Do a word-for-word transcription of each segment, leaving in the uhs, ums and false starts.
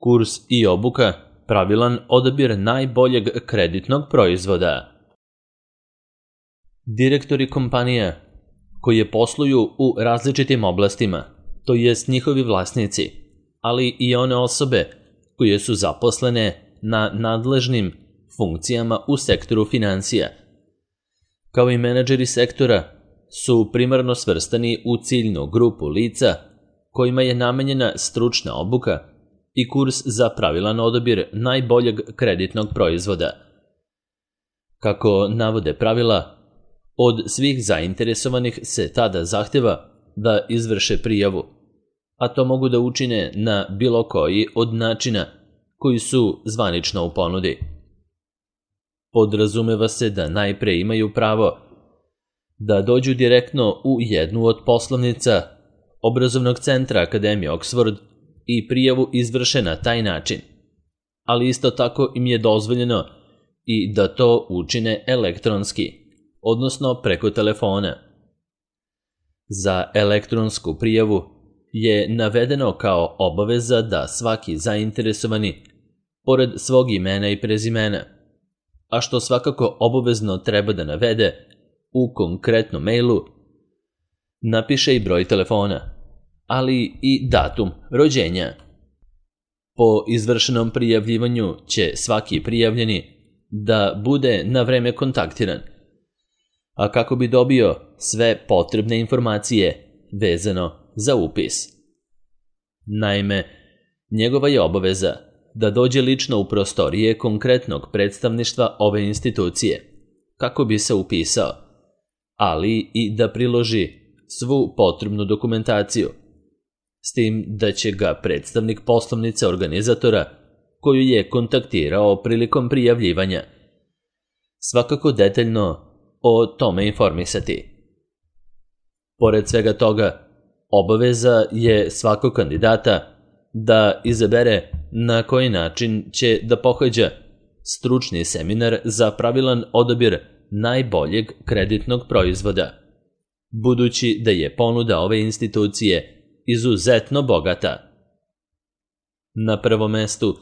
Kurs i obuka, pravilan odabir najboljeg kreditnog proizvoda. Direktori kompanija koje posluju u različitim oblastima, to jest njihovi vlasnici, ali i one osobe koje su zaposlene na nadležnim funkcijama u sektoru financija, kao i menadžeri sektora, su primarno svrstani u ciljnu grupu lica kojima je namenjena stručna obuka i kurs za pravilan odabir najboljeg kreditnog proizvoda. Kako navode pravila, od svih zainteresovanih se tada zahteva da izvrše prijavu, a to mogu da učine na bilo koji od načina koji su zvanično u ponudi. Podrazumeva se da najpre imaju pravo da dođu direktno u jednu od poslovnica obrazovnog centra Akademije Oxford i prijavu izvrše na taj način, ali isto tako im je dozvoljeno i da to učine elektronski, odnosno preko telefona. Za elektronsku prijavu je navedeno kao obaveza da svaki zainteresovani, pored svog imena i prezimena, a što svakako obavezno treba da navede u konkretnom mailu, napiše i broj telefona, ali i datum rođenja. Po izvršenom prijavljivanju će svaki prijavljeni da bude na vreme kontaktiran, a kako bi dobio sve potrebne informacije vezano za upis. Naime, njegova je obaveza da dođe lično u prostorije konkretnog predstavništva ove institucije, kako bi se upisao, ali i da priloži svu potrebnu dokumentaciju, s tim da će ga predstavnik poslovnice organizatora, koju je kontaktirao prilikom prijavljivanja, svakako detaljno o tome informisati. Pored svega toga, obaveza je svakog kandidata da izabere na koji način će da pohađa stručni seminar za pravilan odabir najboljeg kreditnog proizvoda, budući da je ponuda ove institucije izuzetno bogata. Na prvom mestu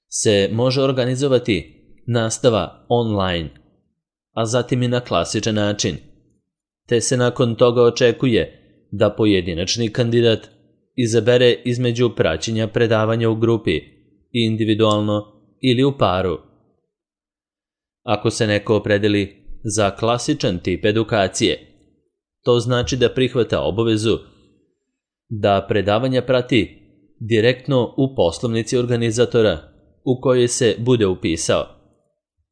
se može organizovati nastava online, a zatim i na klasičan način, te se nakon toga očekuje da pojedinačni kandidat izabere između praćenja predavanja u grupi, individualno ili u paru. Ako se neko opredeli za klasičan tip edukacije, to znači da prihvata obavezu da predavanja prati direktno u poslovnici organizatora u kojoj se bude upisao,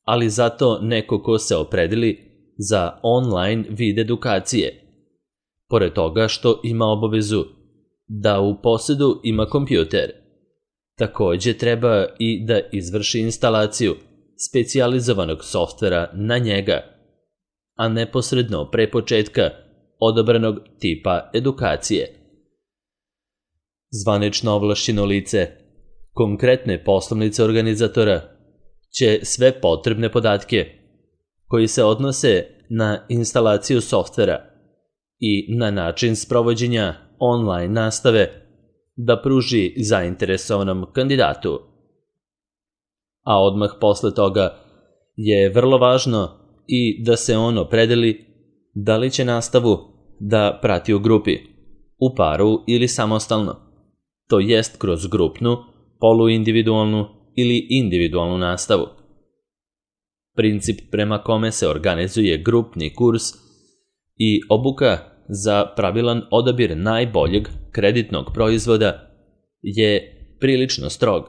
ali zato neko ko se opredeli za online vid edukacije, pored toga što ima obavezu da u posedu ima kompjuter, takođe treba i da izvrši instalaciju specijalizovanog softvera na njega, a neposredno pre početka odabranog tipa edukacije. Zvanično ovlašćeno lice konkretne poslovnice organizatora će sve potrebne podatke koji se odnose na instalaciju softvera i na način sprovođenja online nastave da pruži zainteresovanom kandidatu. A odmah posle toga je vrlo važno i da se on opredeli da li će nastavu da prati u grupi, u paru ili samostalno, to jest kroz grupnu, poluindividualnu ili individualnu nastavu. Princip prema kome se organizuje grupni kurs i obuka za pravilan odabir najboljeg kreditnog proizvoda je prilično strog,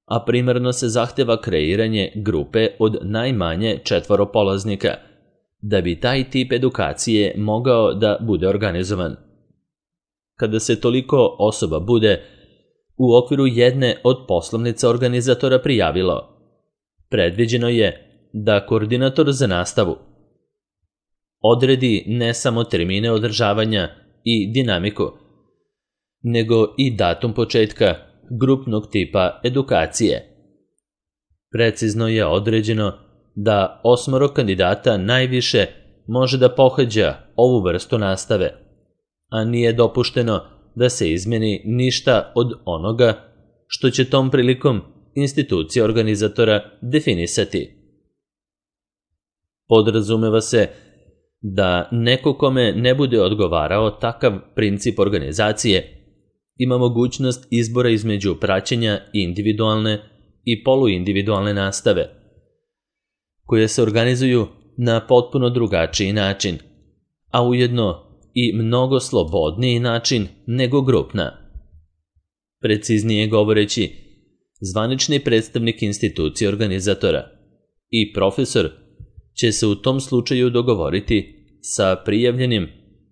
a primarno se zahteva kreiranje grupe od najmanje četvoro polaznika, da bi taj tip edukacije mogao da bude organizovan. Kada se toliko osoba bude u okviru jedne od poslovnica organizatora prijavilo, predviđeno je da koordinator za nastavu odredi ne samo termine održavanja i dinamiku, nego i datum početka grupnog tipa edukacije. Precizno je određeno da osmoro kandidata najviše može da pohađa ovu vrstu nastave, a nije dopušteno da se izmeni ništa od onoga što će tom prilikom institucija organizatora definisati. Podrazumeva se da neko kome ne bude odgovarao takav princip organizacije ima mogućnost izbora između praćenja individualne i poluindividualne nastave, koje se organizuju na potpuno drugačiji način, a ujedno i mnogo slobodniji način nego grupna. Preciznije govoreći, zvanični predstavnik institucije organizatora i profesor će se u tom slučaju dogovoriti sa prijavljenim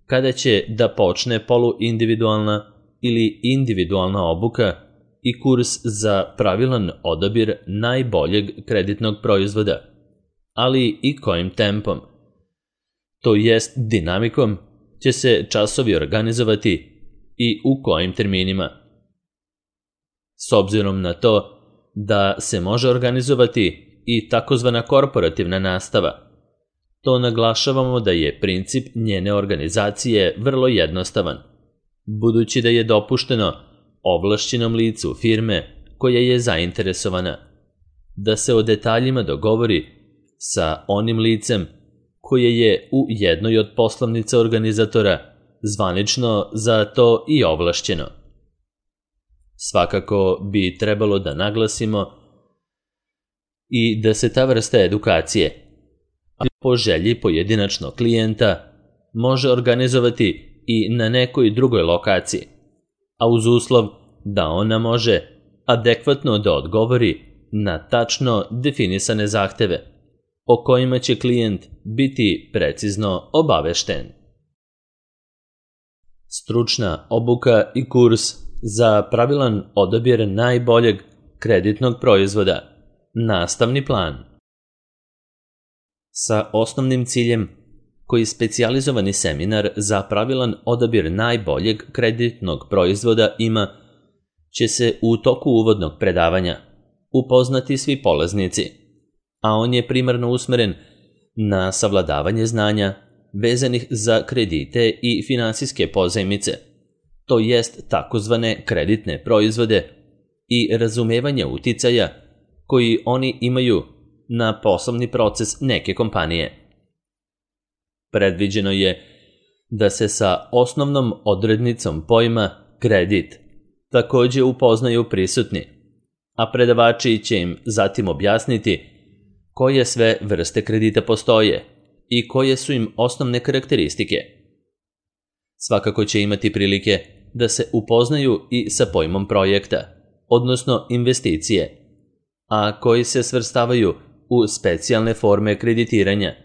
kada će da počne poluindividualna ili individualna obuka i kurs za pravilan odabir najboljeg kreditnog proizvoda, ali i kojim tempom. To jest dinamikom će se časovi organizovati i u kojim terminima. S obzirom na to da se može organizovati i takozvana korporativna nastava, to naglašavamo da je princip njene organizacije vrlo jednostavan, budući da je dopušteno ovlašćenom licu firme koja je zainteresovana da se o detaljima dogovori sa onim licem koje je u jednoj od poslovnica organizatora zvanično za to i ovlašćeno. Svakako bi trebalo da naglasimo i da se ta vrsta edukacije, ali po želji pojedinačnog klijenta, može organizovati i na nekoj drugoj lokaciji, a uz uslov da ona može adekvatno da odgovori na tačno definisane zahteve, o kojima će klijent biti precizno obavešten. Stručna obuka i kurs za pravilan odabir najboljeg kreditnog proizvoda. Nastavni plan. Sa osnovnim ciljem koji specijalizovani seminar za pravilan odabir najboljeg kreditnog proizvoda ima, će se u toku uvodnog predavanja upoznati svi polaznici, a on je primarno usmeren na savladavanje znanja vezanih za kredite i finansijske pozajmice, to jest takozvane kreditne proizvode i razumevanje uticaja koji oni imaju na poslovni proces neke kompanije. Predviđeno je da se sa osnovnom odrednicom pojma kredit takođe upoznaju prisutni, a predavači će im zatim objasniti koje sve vrste kredita postoje i koje su im osnovne karakteristike. Svakako će imati prilike da se upoznaju i sa pojmom projekta, odnosno investicije, a koji se svrstavaju u specijalne forme kreditiranja,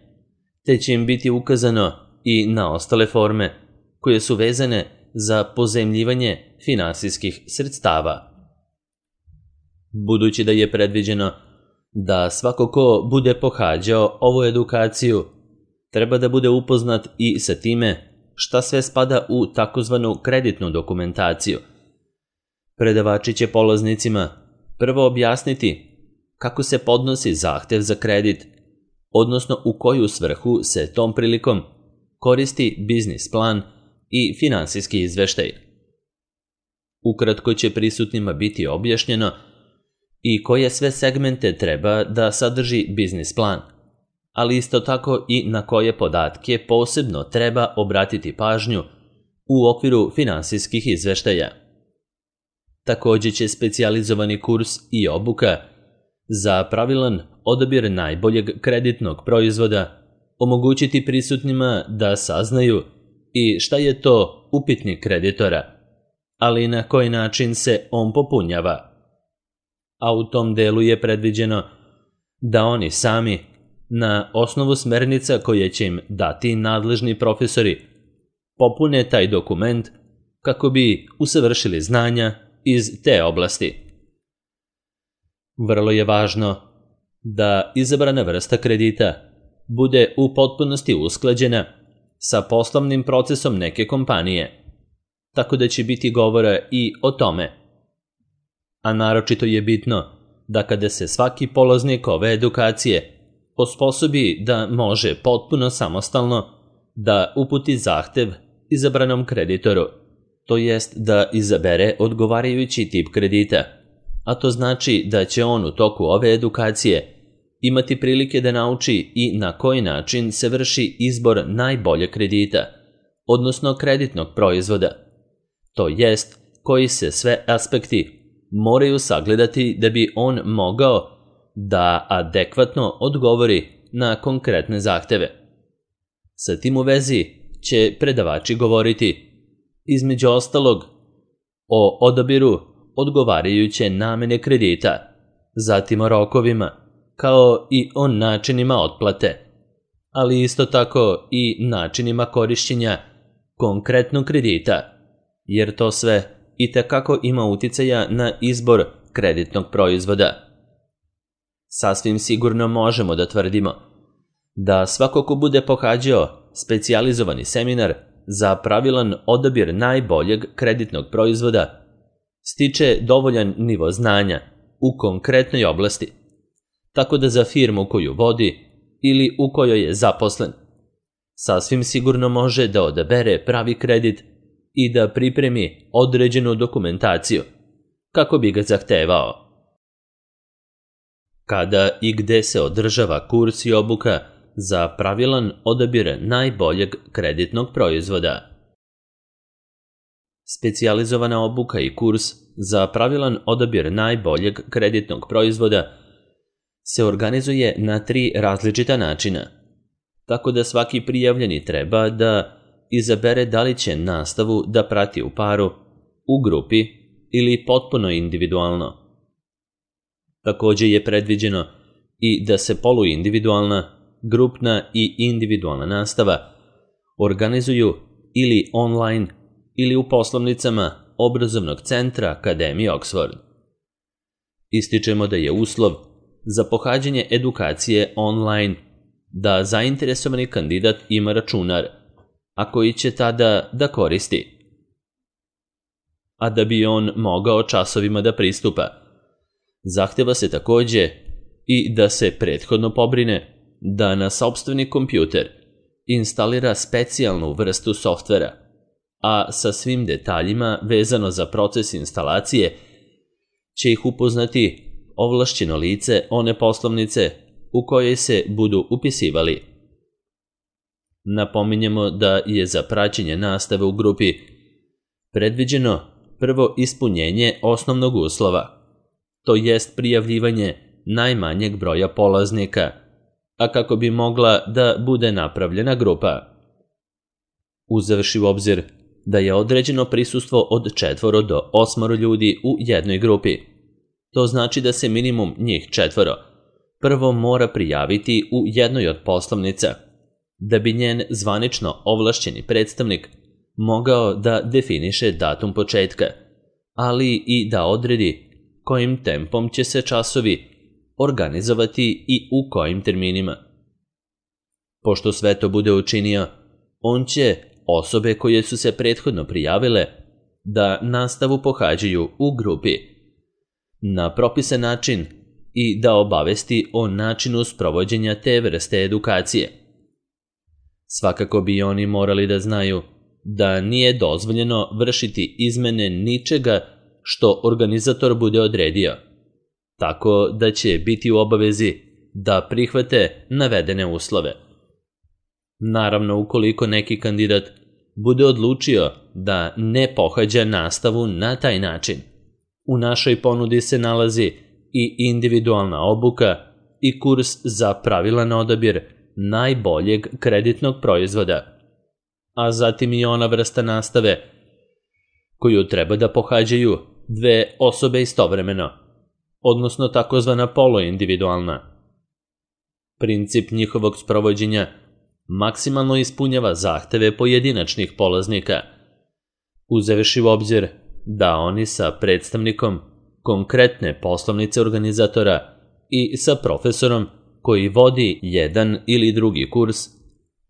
te će im biti ukazano i na ostale forme koje su vezane za pozajmljivanje finansijskih sredstava. Budući da je predviđeno da svako ko bude pohađao ovu edukaciju treba da bude upoznat i sa time šta sve spada u takozvanu kreditnu dokumentaciju, predavači će polaznicima prvo objasniti kako se podnosi zahtev za kredit, odnosno u koju svrhu se tom prilikom koristi biznis plan i finansijski izveštaj. Ukratko će prisutnima biti objašnjeno i koje sve segmente treba da sadrži biznis plan, ali isto tako i na koje podatke posebno treba obratiti pažnju u okviru finansijskih izveštaja. Takođe će specijalizovani kurs i obuka za pravilan odabir najboljeg kreditnog proizvoda omogućiti prisutnima da saznaju i šta je to upitnik kreditora, ali i na koji način se on popunjava. A u tom delu je predviđeno da oni sami, na osnovu smernica koje će im dati nadležni profesori, popune taj dokument kako bi usavršili znanja iz te oblasti. Vrlo je važno da izabrana vrsta kredita bude u potpunosti usklađena sa poslovnim procesom neke kompanije, tako da će biti govora i o tome. A naročito je bitno da kada se svaki polaznik ove edukacije osposobi da može potpuno samostalno da uputi zahtev izabranom kreditoru, to jest da izabere odgovarajući tip kredita a to znači da će on u toku ove edukacije imati prilike da nauči i na koji način se vrši izbor najboljeg kredita, odnosno kreditnog proizvoda. To jest, koji se sve aspekti moraju sagledati da bi on mogao da adekvatno odgovori na konkretne zahteve. Sa tim u vezi će predavači govoriti, između ostalog, o odabiru odgovarajuće namene kredita, zatim o rokovima, kao i o načinima otplate, ali isto tako i načinima korišćenja konkretnog kredita, jer to sve itekako ima uticaja na izbor kreditnog proizvoda. Sasvim sigurno možemo da tvrdimo da svako ko bude pohađao specijalizovani seminar za pravilan odabir najboljeg kreditnog proizvoda stiče dovoljan nivo znanja u konkretnoj oblasti, tako da za firmu koju vodi ili u kojoj je zaposlen, sasvim sigurno može da odabere pravi kredit i da pripremi određenu dokumentaciju kako bi ga zahtevao. Kada i gde se održava kurs i obuka za pravilan odabir najboljeg kreditnog proizvoda? Specijalizovana obuka i kurs za pravilan odabir najboljeg kreditnog proizvoda se organizuje na tri različita načina, tako da svaki prijavljeni treba da izabere da li će nastavu da prati u paru, u grupi ili potpuno individualno. Takođe je predviđeno i da se poluindividualna, grupna i individualna nastava organizuju ili online ili u poslovnicama obrazovnog centra Akademije Oxford. Ističemo da je uslov za pohađanje edukacije online da zainteresovani kandidat ima računar, a koji će tada da koristi. A da bi on mogao časovima da pristupa, zahteva se takođe i da se prethodno pobrine da na sopstveni kompjuter instalira specijalnu vrstu softvera, a sa svim detaljima vezano za proces instalacije će ih upoznati ovlašćeno lice one poslovnice u kojoj se budu upisivali. Napominjemo da je za praćenje nastave u grupi predviđeno prvo ispunjenje osnovnog uslova, to jest prijavljivanje najmanjeg broja polaznika, a kako bi mogla da bude napravljena grupa. Uzevši u obzir da je određeno prisustvo od četvoro do osmoro ljudi u jednoj grupi, to znači da se minimum njih četvoro prvo mora prijaviti u jednoj od poslovnica, da bi njen zvanično ovlašćeni predstavnik mogao da definiše datum početka, ali i da odredi kojim tempom će se časovi organizovati i u kojim terminima. Pošto sve to bude učinio, on će osobe koje su se prethodno prijavile da nastavu pohađaju u grupi na propisan način i da obavesti o načinu sprovođenja te vrste edukacije. Svakako bi oni morali da znaju da nije dozvoljeno vršiti izmene ničega što organizator bude odredio, tako da će biti u obavezi da prihvate navedene uslove. Naravno, ukoliko neki kandidat bude odlučio da ne pohađa nastavu na taj način, u našoj ponudi se nalazi i individualna obuka i kurs za pravilan odabir najboljeg kreditnog proizvoda, a zatim i ona vrsta nastave koju treba da pohađaju dve osobe istovremeno, odnosno takozvana poluindividualna. Princip njihovog sprovođenja maksimalno ispunjava zahteve pojedinačnih polaznika, uzevši u obzir da oni sa predstavnikom konkretne poslovnice organizatora i sa profesorom koji vodi jedan ili drugi kurs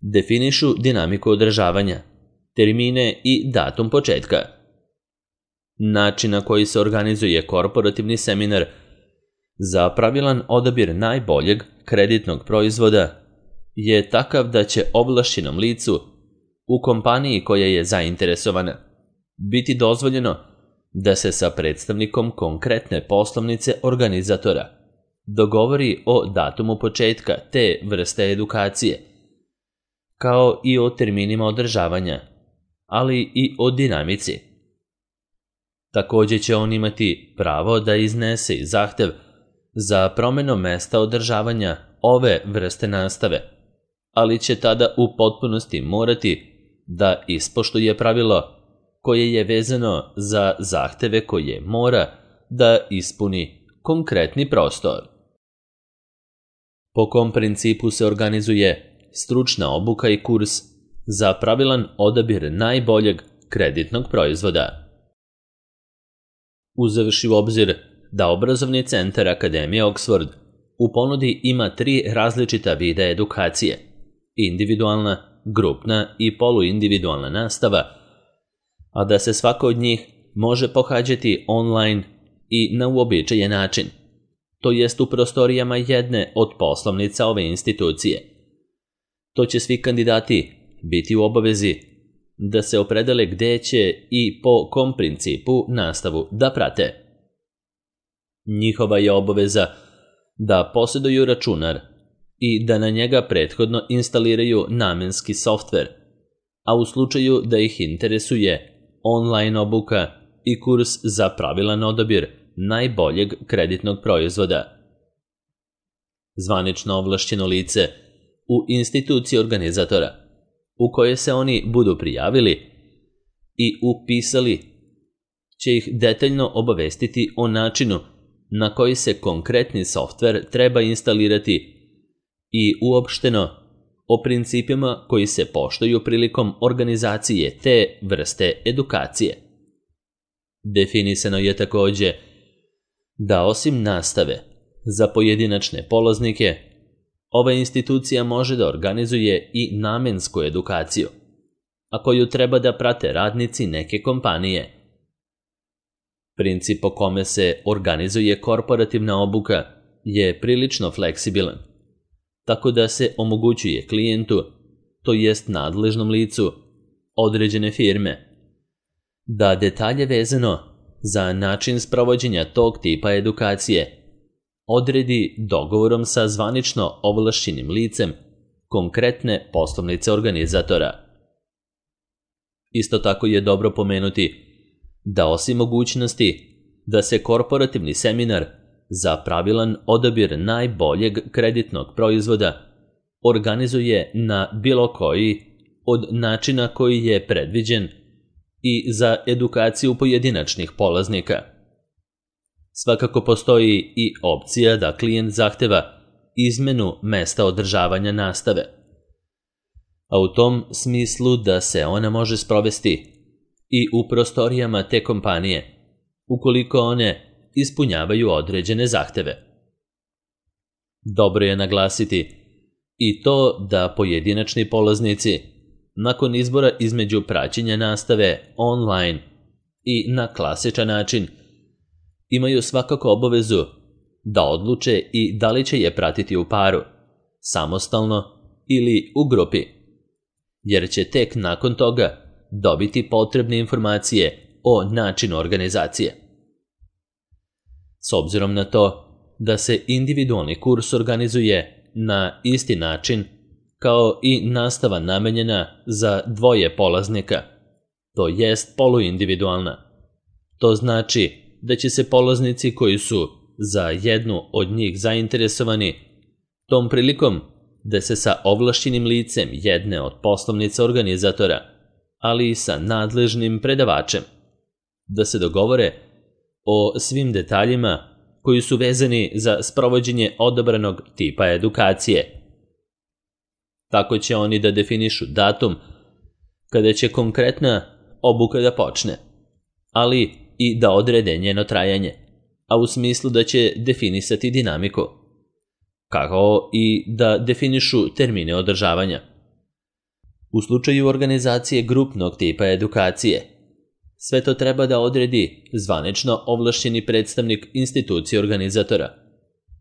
definišu dinamiku održavanja, termine i datum početka. Način na koji se organizuje korporativni seminar za pravilan odabir najboljeg kreditnog proizvoda je takav da će ovlašćenom licu u kompaniji koja je zainteresovana biti dozvoljeno da se sa predstavnikom konkretne poslovnice organizatora dogovori o datumu početka te vrste edukacije, kao i o terminima održavanja, ali i o dinamici. Također će on imati pravo da iznese i zahtev za promjenom mesta održavanja ove vrste nastave, ali će tada u potpunosti morati da ispoštuje pravilo koje je vezano za zahteve koje mora da ispuni konkretni prostor. Po kom principu se organizuje stručna obuka i kurs za pravilan odabir najboljeg kreditnog proizvoda? Uzevši u obzir da obrazovni centar Akademije Oxford u ponudi ima tri različita vida edukacije: individualna, grupna i poluindividualna nastava, a da se svaka od njih može pohađati online i na uobičajen način, to jest u prostorijama jedne od poslovnica ove institucije. To će svi kandidati biti u obavezi da se opredele gde će i po kom principu nastavu da prate. Njihova je obaveza da posjeduju računar i da na njega prethodno instaliraju namenski softver, a u slučaju da ih interesuje online obuka i kurs za pravilan odabir najboljeg kreditnog proizvoda. Zvanično ovlašćeno lice u instituciji organizatora u koje se oni budu prijavili i upisali će ih detaljno obavestiti o načinu na koji se konkretni softver treba instalirati i uopšteno o principima koji se poštuju prilikom organizacije te vrste edukacije. Definisano je također da osim nastave za pojedinačne polaznike, ova institucija može da organizuje i namensku edukaciju, a koju treba da prate radnici neke kompanije. Princip po kome se organizuje korporativna obuka je prilično fleksibilan, tako da se omogućuje klijentu, to jest nadležnom licu određene firme, da detalje vezano za način sprovođenja tog tipa edukacije odredi dogovorom sa zvanično ovlašćenim licem konkretne poslovnice organizatora. Isto tako je dobro pomenuti da osim mogućnosti da se korporativni seminar za pravilan odabir najboljeg kreditnog proizvoda organizuje na bilo koji od načina koji je predviđen i za edukaciju pojedinačnih polaznika. Svakako postoji i opcija da klijent zahteva izmenu mesta održavanja nastave, a u tom smislu da se ona može sprovesti i u prostorijama te kompanije, ukoliko one ispunjavaju određene zahteve. Dobro je naglasiti i to da pojedinačni polaznici, nakon izbora između praćenja nastave online i na klasičan način, imaju svakako obavezu da odluče i da li će je pratiti u paru, samostalno ili u grupi, jer će tek nakon toga dobiti potrebne informacije o načinu organizacije. S obzirom na to da se individualni kurs organizuje na isti način kao i nastava namenjena za dvoje polaznika, to jest poluindividualna. To znači da će se polaznici koji su za jednu od njih zainteresovani tom prilikom da se sa ovlašćenim licem jedne od poslovnica organizatora, ali i sa nadležnim predavačem, da se dogovore o svim detaljima koji su vezani za sprovođenje odabranog tipa edukacije. Tako će oni da definišu datum kada će konkretna obuka da počne, ali i da odrede njeno trajanje, a u smislu da će definisati dinamiku, kao i da definišu termine održavanja. U slučaju organizacije grupnog tipa edukacije, sve to treba da odredi zvanično ovlašćeni predstavnik institucije organizatora,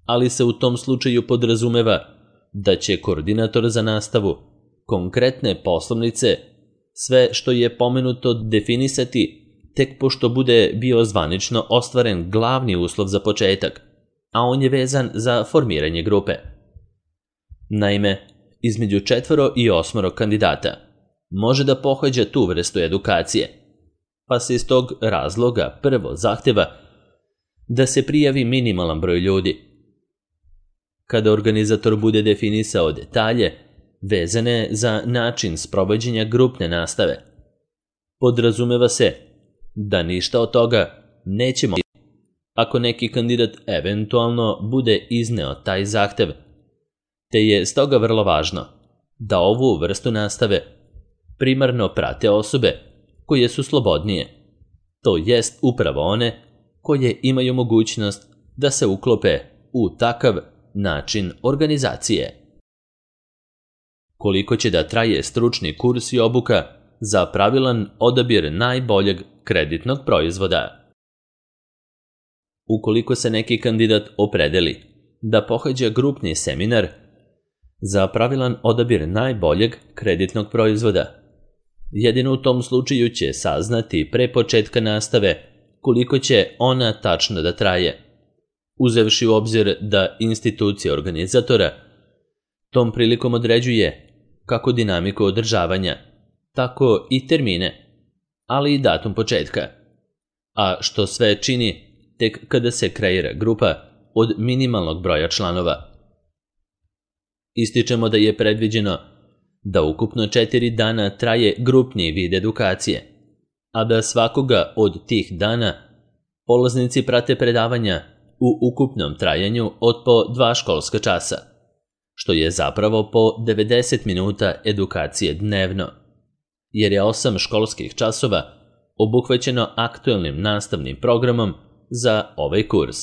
ali se u tom slučaju podrazumeva da će koordinator za nastavu konkretne poslovnice sve što je pomenuto definisati tek pošto bude bio zvanično ostvaren glavni uslov za početak, a on je vezan za formiranje grupe. Naime, između četvoro i osmoro kandidata može da pohađa tu vrstu edukacije, pa se iz tog razloga prvo zahteva da se prijavi minimalan broj ljudi. Kada organizator bude definisao detalje vezane za način sprovođenja grupne nastave, podrazumeva se da ništa od toga neće moći ako neki kandidat eventualno bude izneo taj zahtev, te je stoga vrlo važno da ovu vrstu nastave primarno prate osobe koje su slobodnije, to jest upravo one koje imaju mogućnost da se uklope u takav način organizacije. Koliko će da traje stručni kurs i obuka za pravilan odabir najboljeg kreditnog proizvoda? Ukoliko se neki kandidat opredeli da pohađa grupni seminar za pravilan odabir najboljeg kreditnog proizvoda, jedino u tom slučaju će saznati pre početka nastave koliko će ona tačno da traje, uzevši u obzir da institucija organizatora tom prilikom određuje kako dinamiku održavanja, tako i termine, ali i datum početka, a što sve čini tek kada se kreira grupa od minimalnog broja članova. Ističemo da je predviđeno da ukupno četiri dana traje grupni vid edukacije, a da svakoga od tih dana polaznici prate predavanja u ukupnom trajanju od po dva školska časa, što je zapravo po devedeset minuta edukacije dnevno, jer je osam školskih časova obuhvaćeno aktuelnim nastavnim programom za ovaj kurs.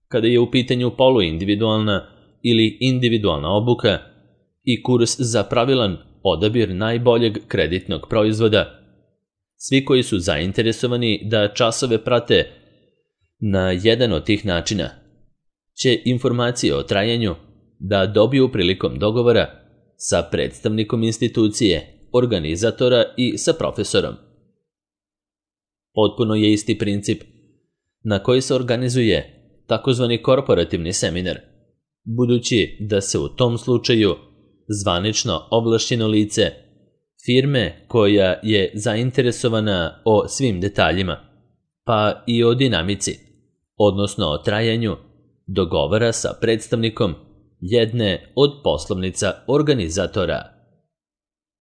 Kada je u pitanju poluindividualna ili individualna obuka i kurs za pravilan odabir najboljeg kreditnog proizvoda, svi koji su zainteresovani da časove prate na jedan od tih načina će informacije o trajanju da dobiju prilikom dogovora sa predstavnikom institucije, organizatora i sa profesorom. Potpuno je isti princip na koji se organizuje takozvani korporativni seminar, budući da se u tom slučaju zvanično ovlašćeno lice firme koja je zainteresovana o svim detaljima, pa i o dinamici, odnosno o trajanju, dogovara sa predstavnikom jedne od poslovnica organizatora.